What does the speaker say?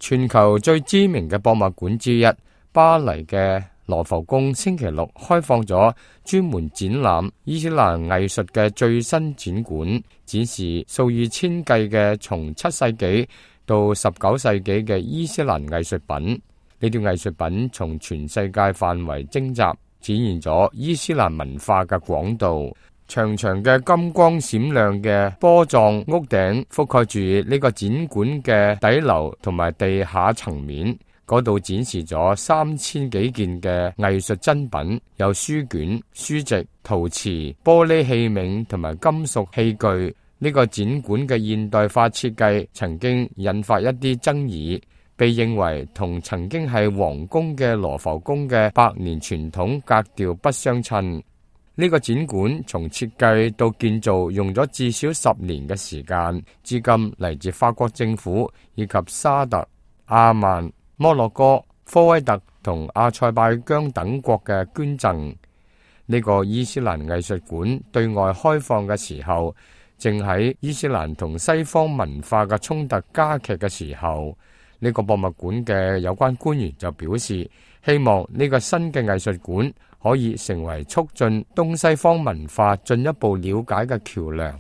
全球最知名嘅博物館之一，巴黎嘅羅浮宮星期六開放咗專門展覽伊斯蘭藝術嘅最新展館，展示數以千計嘅從7世紀到19世紀嘅伊斯蘭藝術品。呢啲藝術品從全世界範圍徵集，展現咗伊斯蘭文化嘅廣度。長長嘅金光閃亮嘅波狀屋頂覆蓋住呢個展館嘅底樓同埋地下層面，嗰度展示咗3000幾件嘅藝術珍品，有書卷、書籍、陶瓷、玻璃器皿同埋金屬器具。呢個展館嘅現代化設計曾經引發一啲爭議，被認為同曾經係皇宮嘅羅浮宮嘅百年傳統格調不相稱。呢個展館從設計到建造用咗至少10年嘅時間，資金嚟自法國政府以及沙特、阿曼、摩洛哥、科威特同阿塞拜疆等國嘅捐贈。呢個伊斯蘭藝術館對外開放嘅時候，正喺伊斯蘭同西方文化嘅衝突加劇嘅時候。呢個博物館嘅有關官員就表示，希望呢個新嘅藝術館可以成為促進東西方文化進一步了解嘅橋樑。